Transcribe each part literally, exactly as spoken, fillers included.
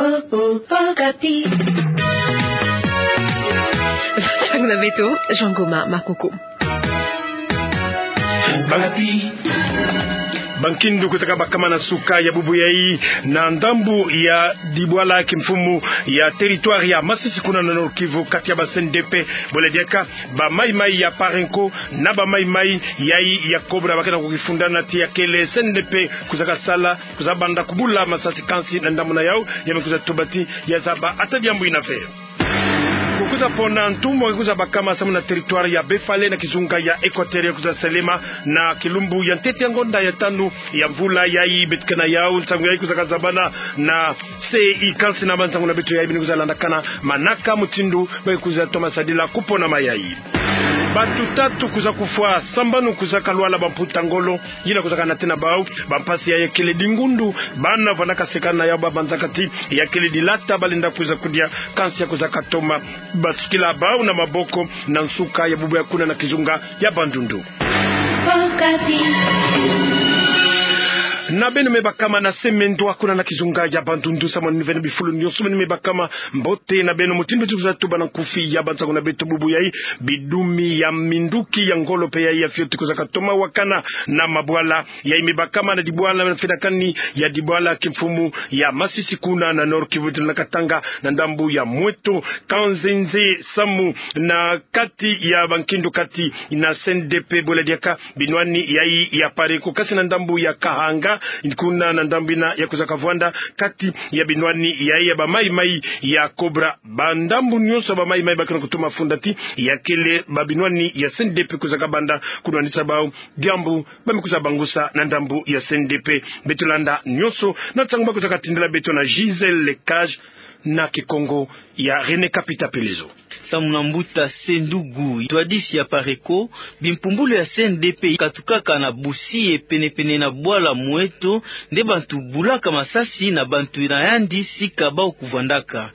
Oh, oh, Okapi. Nsangu na beto, Jean Goma Makoko. Okapi. Bankindu kusaka bakama na nsuka ya bubu yayi na ndambu ya dibwala kimfumu ya territoire ya Masisi kuna na Nord-Kivu, kati ya ba C N D P bole diaka ba maimai ya Parenco na ba maimai yayi ya Cobra bakena kukifundana ti ya kele C N D P kusaka sala, kusa banda kubula masasi kansi na ndambu na yau, ya me kusa tuba ti ya zaba ata diambu ina ve. Kukusa pona ntumwa kusa bakama samu na territoire ya Befale na kizunga ya Equateur, kusa selema na kilumbu ya ntete ya ngonda ya tanu ya mvula yayi. Beto kena yau nsangu yayi kusaka zabana na C I, kansi na ba nsangu na beto yayi bini kusa landakana manaka mutindu ba kusa toma sadila kupona mayayi. Bantu tatu kusa kufwa, sambanu kusaka lwala bamputa ngolo, yina kusaka nate na bau bampasi ya kele dingundu, bana vandaka seka na yau ba banzaka ti ya kele dilata balenda kusa kudia, kansi ya kusaka toma basukila bau na maboko na nsuka ya bubu ya kuna na kizunga ya Bandundu. Okapi. Na beno me bakama na semendwa kuna na kizunga ya Bandundu, samu na ni ve na bifulu nyonso beno me bakama, mbote na beno. Mutindu ti kusa tuba na nkufi ya ba nsangu na beto bubu yayi, bidumi ya minduki ya ngolo pe yayi ya fioti kusaka toma wakana na mabwala yayi me bakama na dibwala na fedakani ya dibwala kimfumu ya Masisi kuna na Nord-Kivu, na Katanga na ndambu ya Mweto, Kanzenze samu na kati ya bankindu kati na C N D P bole diaka binwani yayi ya Parenco, kansi na ndambu ya Kahanga, kuna na ndambu ina ya kusa kavwanda kati ya binwani yayi ya ba maimai ya Cobra. Ba ndambu nyonso ba maimai bakena kutoma funda ti ya kele ba binwani ya C N D P kusaka banda kunwanisa bau, diambu ba me kusa bangusa na ndambu ya C N D P. Beto landa nyonso na nsangu ba kusaka tindila beto na Gisèle Lecage na Kikongo ya René Kapita Pelezo. Samu na mbuta Sendugu, ntwadisi ya Parenco, bimpumbulu ya C N D P katukaka na Busie penepene na bwala Mweto, nde bantu bulaka masasi na bantu na yandi sika bau kuvwandaka.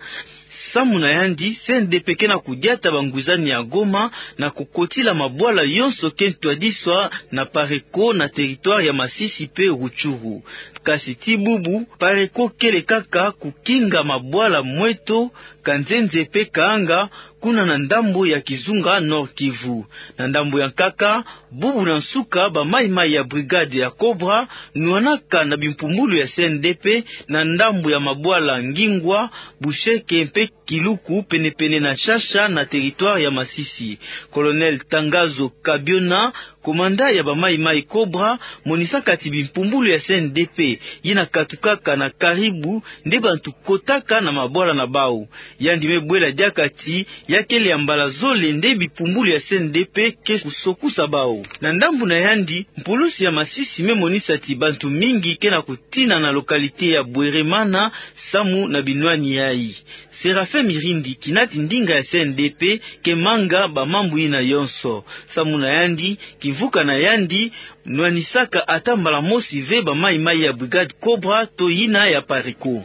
Samu na yandi, C N D P kena kudiata bangwizani ya Goma na kukotila mabwala yonso ke ntwadiswa na Parenco na territoire ya Masisi pe Rutshuru. Kasi ti bubu, Parenco kele kaka kukinga mabwala Mweto, Kanzenze pe Kahanga, kuna na ndambu ya kizunga Nord-Kivu. Na ndambu ya nkaka, bubu na nsuka ba maimai ya brigade ya Cobra nwanaka na bimpumbulu ya C N D P na ndambu ya mabwala Ngingwa, Busheke mpe Kiluku, penepene na Shasha na territoire ya Masisi. Colonel Tangazo Kabiona, komanda ya ba maimai Cobra, monisaka ti bimpumbulu ya C N D P yina katukaka na Karibu nde bantu kotaka na mabwala na bau. Yandi me bwela diaka ti ya kele ya mbala zole nde bimpumbulu ya C N D P ke kusokusa bau. Na ndambu na yandi, mpulusi ya Masisi me monisa ti bantu mingi kena kutina na localité ya Bweremana samu na binwani yayi. Séraphin Mirindi, kinati ndinga ya C N D P, ke manga ba mambu yina yonso. Samu na yandi, kimvuka na yandi nwanisaka ata mbala mosi ve ba maimai ya brigade Cobra to yina ya Parenco.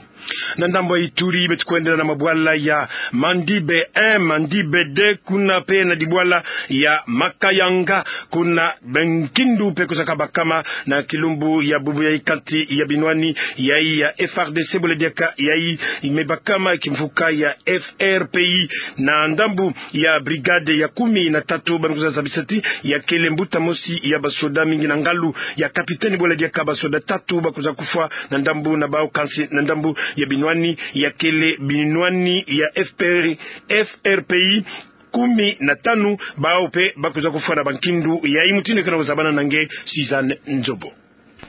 Na ndambu ya Ituri, beto kwendela na mabwala ya Mandibe un, Mandibe deux, kuna pe na dibwala ya Makayanga, kuna bankindu pe kusaka bakama na kilumbu ya bubu yayi kati ya binwani yayi ya F R D C bole diaka yayi me bakama kimvuka ya F R P I, na ndambu ya brigade ya kumi na tatu ba me kusa zabisa ti ya kele mbuta mosi ya basoda mingi na ngalu ya capitaine bole diaka basoda tatu ba kusa kufwa na ndambu na bau, kansi na ndambu ya binwani ya kele binwani ya F P R, F R P I kumi na tanu, bau pe ba kusa kufwa na bankindu yayi. Mutindu kena kuzabana na nge Suzanne Nzobo.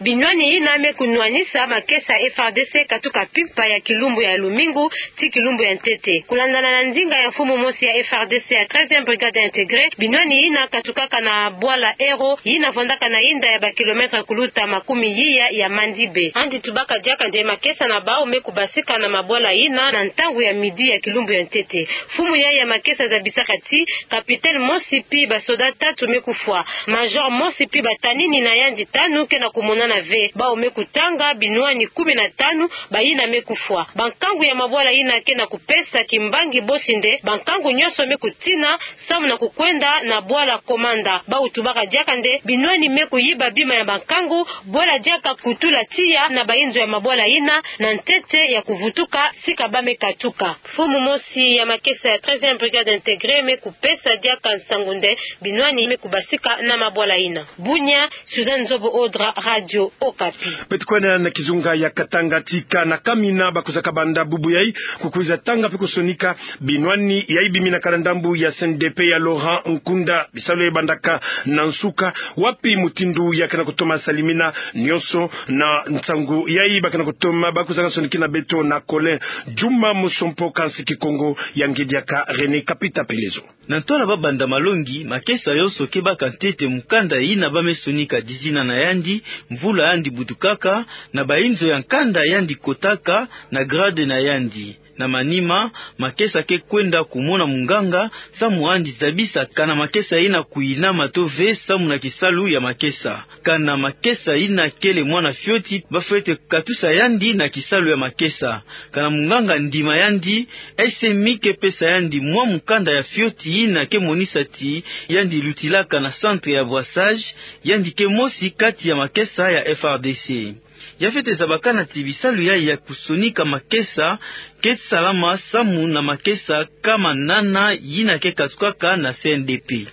Binwani yina me kunwanisa makesa F R D C katuka mpimpa ya kilumbu ya lumingu ti kilumbu ya ntete. Kulandana na ndinga ya mfumu mosi ya F R D C ya treizième brigade intégrée, binwani yina katukaka na bwala Ero, yina vwandaka na yinda ya ba kilomètre kuluta makumi yiya ya Mandibe. Yandi tubaka diaka nde makesa na bau me kubasika na mabwala yina na ntangu ya midi ya kilumbu ya ntete. Mfumu yayi ya makesa zabisaka ti capitaine mosi pi basoda tatu me kufwa. Major mosi pi batanini na yandi tanu kena kumona nana ve. Bawu me kutanga binwani kumi na tanu bayina me kufwa. Bankangu ya mabwala yina ke na kupesa kimbangi bosi nde bankangu nyonso me kutina samu na kukwenda na bwala Komanda. Bawu tubaka diaka nde binwani me kuyiba bima ya bankangu, bwela diaka kutula tiya na bayinzo ya mabwala yina na ntete ya kuvutuka sika ba me katuka. Mfumu mosi ya makesa ya treizième brigade intégrée me kupesa diaka nsangu nde binwani me kubasika na mabwala yina. Bunia, Suzanne Nzobo Odra, Radio Okapi. Beto kwenda na kizunga ya Katanga, tika na kamina ba kwiza kabanda bubu yayi, kukwiza tanga mpe kusonika binwani yayi biminaka na ndambu ya C N D P ya Laurent Nkunda, bisalu yayi bandaka na nsuka, wapi mutindu ya ke na kutoma salimina nyonso na nsangu yayi ba ke na kutoma ba kwizaka sonikina beto na Colin Djuma Mosompo, kansi Kikongo ya nge diaka René Kapita Pelezo. Na ntwala ba banda malongi, makesa yonso ke baka ntete mukanda yina ba me sonika dizina na yandi, mvula yandi butukaka, na bayinzo ya nkanda yandi kotaka, na grade na yandi. Na manima, makesa ke kwenda kumona munganga, samu yandi zabisa kana makesa yina kuyinama to ve samu na kisalu ya makesa. Kana makesa yina kele mwana fioti, ba fwete katusa yandi na kisalu ya makesa. Kana munganga ndima yandi, S M I ke pesa yandi mwa mukanda ya fioti yina ke monisa ti yandi lutilaka na centre ya brassage, yandi ke mosi kati ya makesa ya F R D C. Ya fwete zabakana ti bisalu yayi ya kusonika makesa ke salama samu na makesa kama nana yina ke katukaka na C N D P.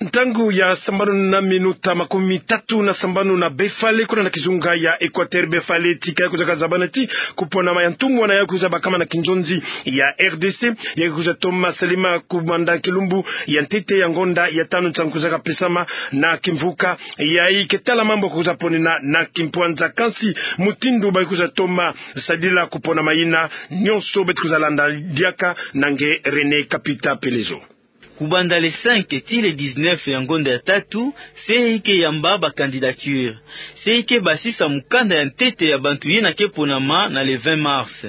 Ntangu ya sambanu na minuta makumi tatu na sambanu na Bafale, kuna na kizunga ya Equateur. Bafale tika ya kwiza kazabana ti kuponama ya ntumwa na ya kwiza bakama na kinzonzi ya R D C, ya kwiza toma salima kubanda kilumbu ya ntete ya ngonda ya tanu nsangu kwiza kapesama na kimvuka yayi ke tala mambu kwiza ponina na kimpwanza, kansi mutindu ba kwiza toma sadila kuponama yina, nyonso beto kwiza landa diaka na nge René Kapita Pelezo. Kubanda le cinq ti le dix-neuf ya ngonda ya tatu, C E I ke yamba ba candidature. C E I ke basisa mukanda ya ntete ya bantu yina ke ponama na le vingt mars.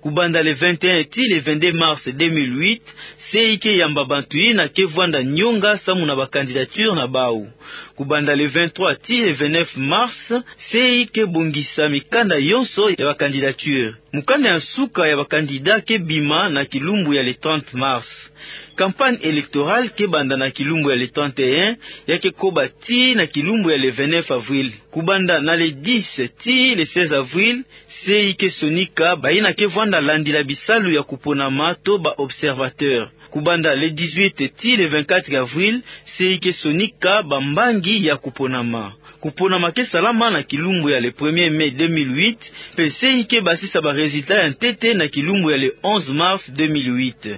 Kubanda le vingt et un ti le vingt-deux mars deux mille huit, C E I ke yamba bantu yina ke vwanda nyonga samu na ba candidature na bawu. Kubanda le vingt-trois ti le vingt-neuf mars, C E I ke bongisa mikanda yonso ya ba candidature. Mukanda ya nsuka ya ba candidat ke bima na kilumbu ya le trente mars. Campagne électorale ke banda na kilumbu ya le trente et un, ya ke koba tii na kilumbu ya le vingt-neuf avril. Kubanda na le dix ti le seize avril, C E I ke sonika bayina ke vwanda landila bisalu ya kuponama to ba observateur. Kubanda le dix-huit ti le vingt-quatre avril, C E I ke sonika bambangi ya kuponama. Kuponama ke salama na kilumbu ya le premier mai deux mille huit, mpe C E I ke basisa ba résultat ya ntete na kilumbu ya le onze mars deux mille huit.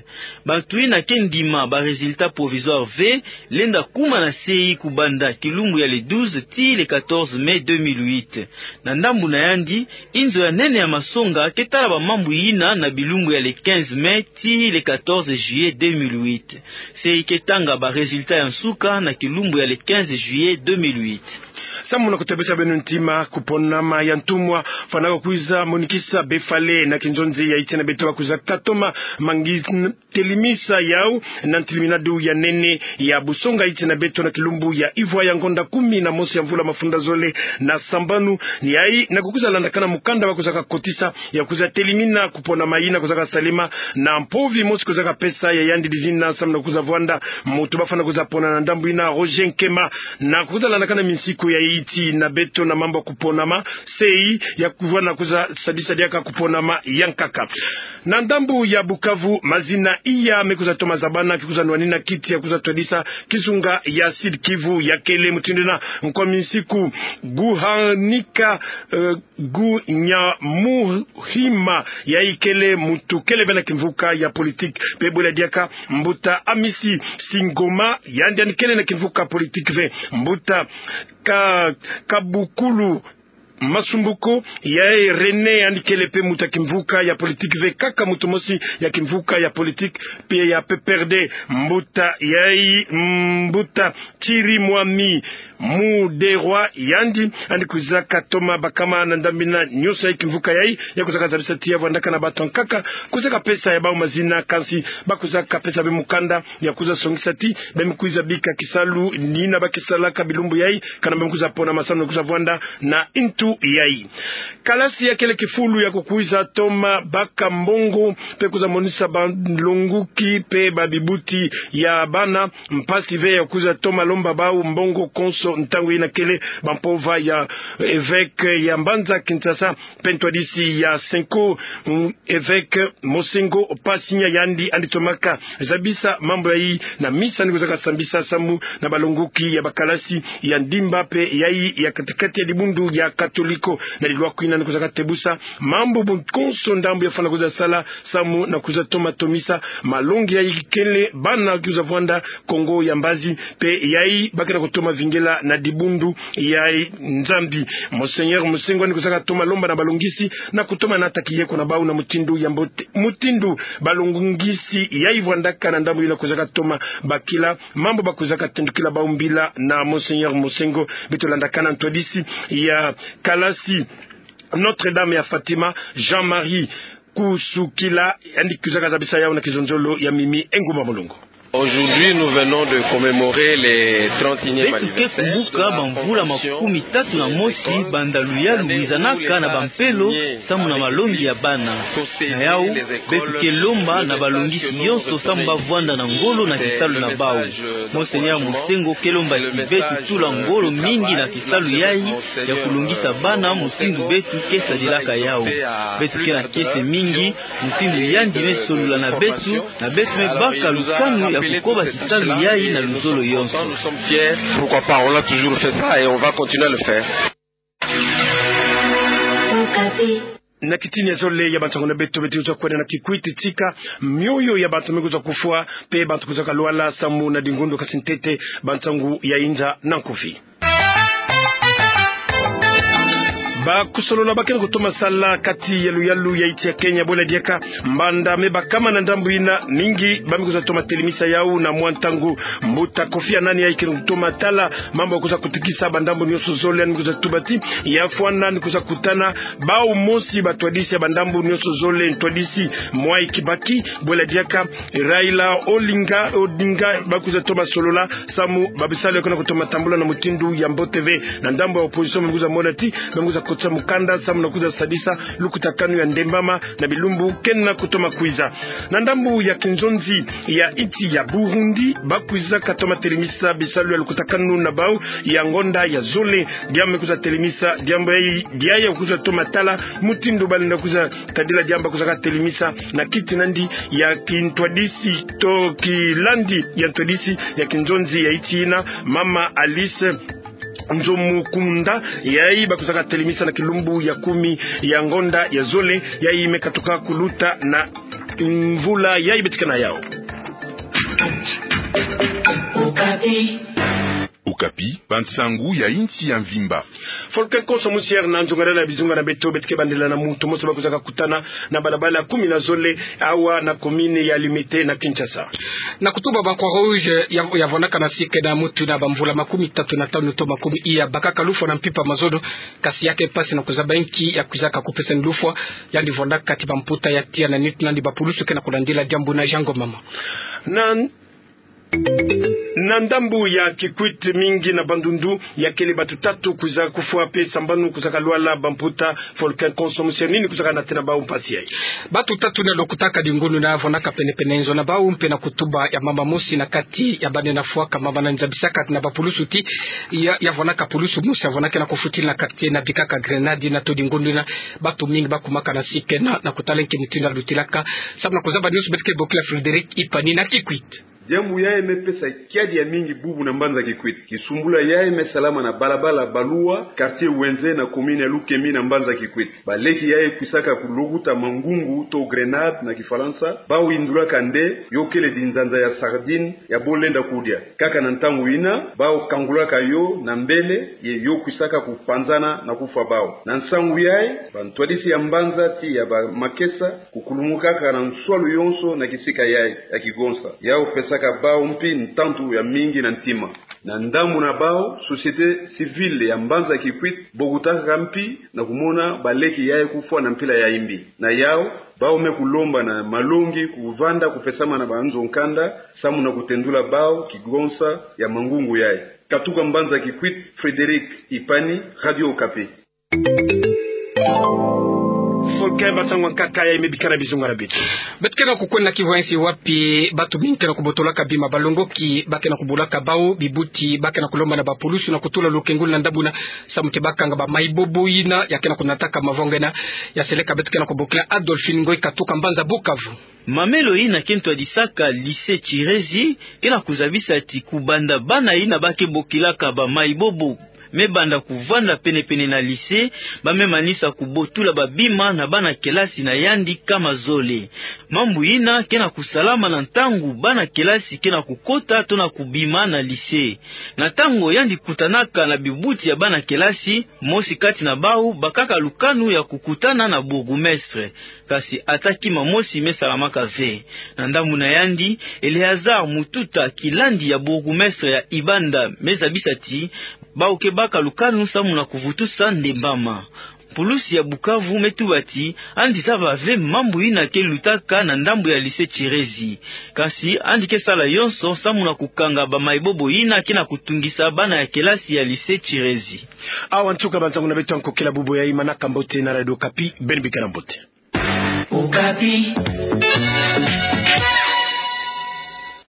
Bantu yina ke ndima ba résultat provisoire ve, lenda kuma na C E I kubanda kilumbu ya le douze ti le quatorze mai deux mille huit. Na ndambu na yandi, inzo ya nene ya masonga ke tala ba mambu yina na bilumbu ya le quinze mai ti le quatorze juillet deux mille huit. C E I ke tanga ba résultat ya nsuka na kilumbu ya le quinze juillet deux mille huit. Samu na kutebesa beno ntima, kuponama ya ntumwa fwanaka kwiza monikisa Bafale na kinzonzi ya iti na beto ba kwiza katoma mangi telimisa yau na ntiliminadu ya nene ya busonga iti na beto na kilumbu ya ivwa ya ngonda kumi na mosi ya mvula mafunda zole na sambanu. Ni yayi na kukwiza landakana mukanda ba kwiza kakotisa ya kwiza telimina kuponama yina kwiza kasalema na mpovi mosi kwiza kapesa ya yandi dizina samu na kwiza vwanda mutu ba fwana kwiza pona na ndambu yina, Roger Nkema. Na kwiza landakana minsiku ya iti na beto na mambu ya kuponama, C E I ya kwiza na kwiza sadisa diaka kuponama ya nkaka. Na ndambu ya Bukavu, mazina iya me kwiza toma zabana, ke kwiza nwanina kiti ya kwiza twadisa kizunga ya Sud-Kivu, ya kele mutindu yina nkwa minsiku Guhanika, eh, Gunyamuhima, yayi kele mutu kele ve na kimvuka ya politique. Mpe bwela diaka mbuta Amisi Singoma, yandi yandi kele na kimvuka politique ve. Mbuta Ka-, Kabukulu Masumbuko, yayi René, yandi kele pe muta kimvuka ya politique ve kaka mutu mosi ya kimvuka ya politique pe ya P P R D. Mbuta yayi, mbuta Thierry Mwami Muderwa, yandi, yandi kwizaka toma bakama na ndambu ina nyonso ya kimvuka yayi, ya kwizaka zabisa ti ya vwandaka na bantu ankaka, kwizaka pesa ya bawu mazina, kansi ba kwizaka pesa be mukanda ya kwiza songisa ti ba me kwiza bika kisalu ina ba kisalaka bilumbu yayi, kana ba me kwiza pona masamu na kwiza vwanda na ntu yayi. Kalasi ya kele kifulu ya kukwiza toma baka mbongo pe kwiza monisa balonguki pe babibuti ya bana mpasi ve ya kwiza toma lomba bawu mbongo konso ntangu ina kele bampova ya, eh, évêque ya mbanza Kinshasa pe ntwadisi ya Cenco, mm, évêque Monsengwo Pasinya, yandi yandi tomaka zabisa mambu yayi na misa yandi kwizaka sambisa samu na balonguki ya bakalasi ya ndimba pe yayi ya katikati ya dibundu ya Katoliko. Na lilwaku ina yandi kwizaka tebusa mambu bu konso ndambu ya fwana kwiza sala samu na kwiza toma tomisa malongi yayi kele bana kwiza vwanda Kongo ya mbazi pe yayi ba ke na kutoma vingila na dibundu ya Nzambi. Monseigneur Monsengwo yandi kwizaka toma lomba na balongisi na kutoma nata kiyeko na bawu na mutindu ya mbote, mutindu balongisi yayi vwandaka na ndambu ina kwizaka toma bakila mambu ba kwizaka tendukila bawu mbila na Monseigneur Monsengwo. Beto landakana ntwadisi ya kalasi Notre-Dame ya Fatima, Jean-Marie Kusukila, yandi kwizaka zabisa yawu na kizonzolo ya Mimi Engumba Mulongo. Aujourd'hui, nous venons de commémorer les trente et unième anniversaire de la Fondation. Beto ke kumbuka bamvula makumi tatu na mosi banda luyalu lwizanaka na bampelo samu na malongi ya bana. Na yawu, beto ke lomba na balongisi yonso samu ba vwanda na ngolo na kisalu na bawu. Monseigneur Monsengwo ke lomba ti beto tula ngolo mingi na kisalu yayi ya kulongisa bana mutindu beto ke sadilaka yawu. Beto ke na kiese mingi mutindu yandi me solola na beto, na beto me baka lukanu ya kukoba kisalu yayi na luzolo yonso. Nous sommes fiers. Pourquoi pas, on l'a toujours fait ça et on va continuer à le faire. Na kitini ya zole ya bansangu na beto, beto kwiza kwenda na Kikwit, tika mioyo ya bantu me kwiza kufwa, pe bantu kwizaka lwala samu na dingundu, kasi ntete bansangu ya inza na nkufi. Bakusolola ba ke na kutoma sala kati ya luyalu ya insi ya Kenya, bwela diaka mbanda me bakama na ndambu ina mingi ba me kwiza toma telemisa yawu na mwa ntangu. Mbuta Kofi Annan, yayi ke na kutoma tala mambu ya kwiza kutikisa bandambu nyonso zole, yandi kwiza tuba ti ya fwana yandi kwiza kutana bawu mosi batwadisi ya bandambu nyonso zole, ntwadisi Mwai Kibaki, bwela diaka Raila Olinga, Odinga, ba kwiza toma solola samu babisalu ya ke na kutoma tambula na mutindu ya mbote ve. Na ndambu ya opposition, ba me kwiza mona ti ba me kwiza kotisa mukanda samu na kwiza sadisa lukutakanu ya ndembama na bilumbu ke na kutoma kwiza. Na ndambu ya kinzonzi ya insi ya Burundi, ba kwizaka toma telemisa bisalu ya lukutakanu na bawu ya ngonda ya zole. Diambu me kwiza telemisa, diambu yayi, diambu ya kwiza toma tala mutindu ba lenda kwiza tadila diambu ba kwizaka telemisa na kiti nandi ya kintwadisi to kilandi ya ntwadisi ya kinzonzi ya insi ina, Mama Alice Nzomukunda, yayi ba kwizaka telemisa na kilumbu ya kumi ya ngonda ya zole, yayi me katuka kuluta na mvula yayi beto ke na yawu. Okapi, bansangu ya insi ya mvimba. Volcan Konso Musier na nzongalala ya bizunga na beto, beto ke bandela na mutu mosi ba kwizaka kutana na balabala kumi na zole, awa na commune ya Limete na Kinshasa. Na kutuba ba Croix-Rouge ya, ya vwandaka na sika na mutu na bamvula makumi tatu na tanu to makumi iya, bakaka lufwa na mpimpa mazono, kasi ya ke mpasi na kuzaba inki ya kwizaka kupesani lufwa. Yandi vwandaka kati bamputa ya tiya na nitu nandi bapulusu ke na kulandila diambu na Jean Ngomama. Na Na ndambu ya Kikwit, mingi na Bandundu, ya kele bantu tatu kwiza kufwa pe sambanu kwizaka lwala bamputa Volcan Konso Musier. Nini kwizaka natena bawu mpasi yayi? Bantu tatu na lokotaka dingunu na vwanaka penepene nzo na bawu mpe na kutuba ya mama mosi na kati ya bana na fwaka mama na nzabisaka na bapulusu ti ya, ya vwanaka pulusu mosi ya vwanaka na kufutila na quartier na bikaka grenade na to dingunu na bantu mingi bakumaka na sikena na kutala nki mutindu ya lutilaka. Samu na kuzaba nyonso beto ke bokila Frédéric Ipani na Kikwit. Diambu yayi me pesa kiadi ya mingi bubu na mbanza Kikwit. Kisumbula yayi me salama na balabala Balua, quartier Ouenzé na commune ya Lukemi na mbanza Kikwit. Baleki yayi kwisaka kulukuta mangungu to grenade na Kifalansa, bau yindulaka nde yo kele binzanza ya sardine ya bo lenda kudia. Kaka na ntangu yina, bau kangulaka yo na mbele, ye yo kwisaka kupanzana na kufwa bau. Na nsangu yayi, bantwadisi ya mbanza ti ya bamakesa kukulumukaka na nswalu yonso na kisika yayi ya kigonsa. Yau pesaka bau mpi ntantu ya mingi na ntima. Na ndambu na bau, société civile ya mbanza Kikwit bokutakaka mpi na kumona baleki yayi kufwa na mpila ya yimbi. Na yau, bau me kulomba na malongi kuvanda kupesama na banzo nkanda, samu na kutendula bau kigonsa ya mangungu yayi. Katuka mbanza Kikwit, Frédéric Ipani, Radio Okapi. Folke, ba nsangu nkaka yayi me bikana bizunga na beto. Beto ke na kukwenda kivu ya nsi wapi bantu mingi ke na kubotolaka bima, balongoki ba ke na kubulaka bau bibuti, ba ke na kulomba na bapulusu na kutula lukengu na ndambu yina samu ti bakanga bamayibobo yina ya ke na kunataka mavanga yina. Ya seleka beto ke na kubokila Adolphine Ngoy katuka mbanza Bukavu. Mamelo yina ke ntwadisaka lycée Chirezi ke na kuzabisa ti kubanda bana yina ba ke bokilaka bamayibobo me banda kuvanda penepene na lycée, ba me manisa kubotula babima na bana kelasi na yandi kama zole. Mambu yina ke na kusalama na ntangu bana kelasi ke na kukota to na kubima na lycée. Na ntangu yandi kutanaka na bibuti ya bana kelasi, mosi kati na bau bakaka lukanu ya kukutana na bourgmestre. Kasi ata kima mosi me salamaka ve. Na ndambu na yandi, Eleazar Mututa, kilandi ya bourgmestre ya Ibanda, me zabisa ti bau ke baka lukanu samu na kuvutusa ndembama. Pulusi ya Bukavu me tuba ti yandi zaba ve mambu yina ke lutaka na ndambu ya lycée Chirezi. Kasi yandi ke sala yonso samu na kukanga bamayibobo yina ke na kutungisa bana ya kelasi ya lycée Chirezi. Awa nsuka ba nsangu na beto ya nkokila bubu yayi. Manaka mbote na Radio Okapi, beno bikana mbote. Okapi.